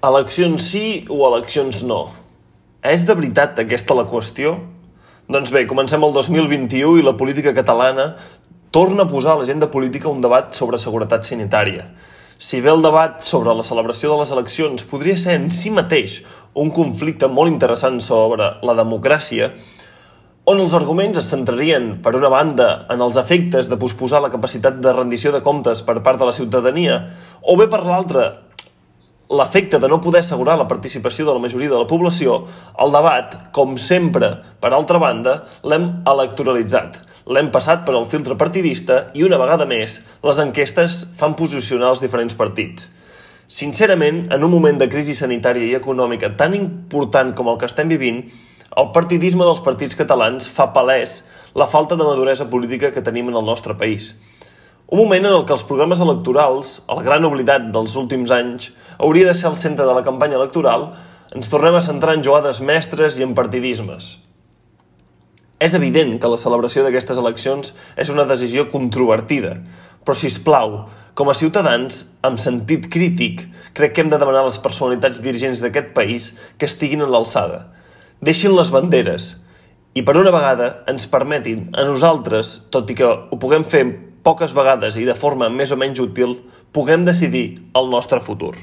Eleccions sí o eleccions no? És de veritat aquesta la qüestió? Doncs bé, comencem el 2021 i la política catalana torna a posar a l'agenda política un debat sobre seguretat sanitària. Si bé el debat sobre la celebració de les eleccions podria ser en si mateix un conflicte molt interessant sobre la democràcia, on els arguments es centrarien, per una banda, en els efectes de posposar la capacitat de rendició de comptes per part de la ciutadania, o bé per l'altra, l'efecte de no poder assegurar la participació de la majoria de la població, el debat, com sempre, per altra banda, l'hem electoralitzat. L'hem passat per al filtre partidista i, una vegada més, les enquestes fan posicionar els diferents partits. Sincerament, en un moment de crisi sanitària i econòmica tan important com el que estem vivint, el partidisme dels partits catalans fa palès la falta de maduresa política que tenim en el nostre país. Un moment en el que els programes electorals, el gran oblidat dels últims anys, hauria de ser el centre de la campanya electoral, ens tornem a centrar en jugades mestres i en partidismes. És evident que la celebració d'aquestes eleccions és una decisió controvertida, però, sisplau, com a ciutadans, amb sentit crític, crec que hem de demanar a les personalitats dirigents d'aquest país que estiguin a l'alçada. Deixin les banderes i, per una vegada, ens permetin a nosaltres, tot i que ho puguem fer poques vegades i de forma més o menys útil, puguem decidir el nostre futur.